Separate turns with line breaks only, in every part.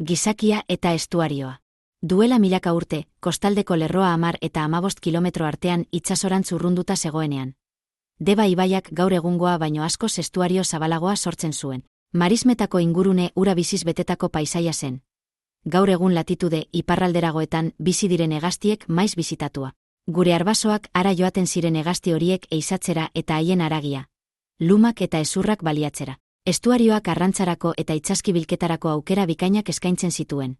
gizakia eta estuarioa. Duela milaka urte, kostaldeko lerroa 10 eta 15 kilometro artean itsasorantz urrunduta zegoenean. Deba ibaiak gaur egungoa baino askoz estuario zabalagoa sortzen zuen. Marismetako ingurune ura biziz betetako paisaia zen. Gaur egun latitude iparralderagoetan bizi diren hegaztiek maiz bizitatua. Gure arbasoak ara joaten ziren hegazti horiek eizatzera eta haien haragia, lumak eta hezurrak baliatzera. Estuarioak arrantzarako eta itsaskibilketarako aukera bikainak eskaintzen zituen.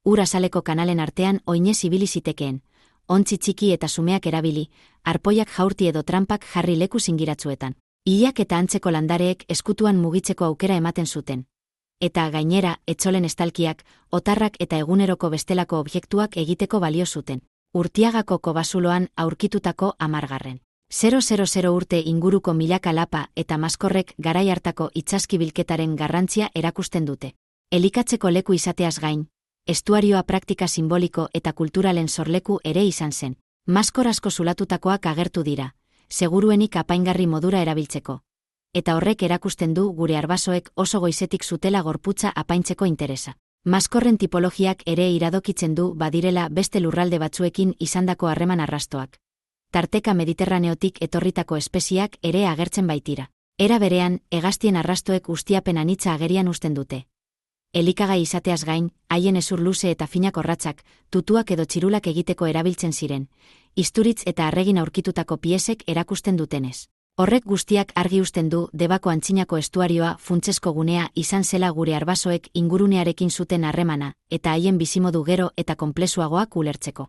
Ur azaleko kanalen artean oinez ibili zitekeen, ontzi txiki eta sumeak erabili, arpoiak jaurti edo tranpak jarri leku zingiratzuetan. Ilak eta antzeko landareek eskutuan mugitzeko aukera ematen zuten. Eta gainera, etzolen estalkiak, otarrak eta eguneroko bestelako objektuak egiteko balio zuten. Urtiagako kobazuloan aurkitutako 10.000 urte inguruko milaka lapa eta maskorrek garai hartako itsaskibilketaren garrantzia erakusten dute. Elikatzeko leku izateaz gain, estuarioa praktika simboliko eta kulturalen sorleku ere izan zen. Maskor asko zulatutakoak agertu dira, seguruenik apaingarri modura erabiltzeko. Eta horrek erakusten du gure arbasoek oso goizetik zutela gorputza apaintzeko interesa. Maskorren tipologiak ere iradokitzen du badirela beste lurralde batzuekin izandako harreman arrastoak. Tarteka Mediterraneotik etorritako espeziak ere agertzen baitira. Era berean, hegaztien arrastoek ustiapen anitza agerian uzten dute. Elikagai izateaz gain, haien hezur luze eta finak orratzak, tutuak edo txirulak egiteko erabiltzen ziren, isturitz eta arregin aurkitutako piezek erakusten dutenez. Horrek guztiak argi uzten du Debako antzinako estuarioa funtsezko gunea izan zela gure arbasoek ingurunearekin zuten harremana, eta haien bizimodu gero eta konplexuagoak ulertzeko.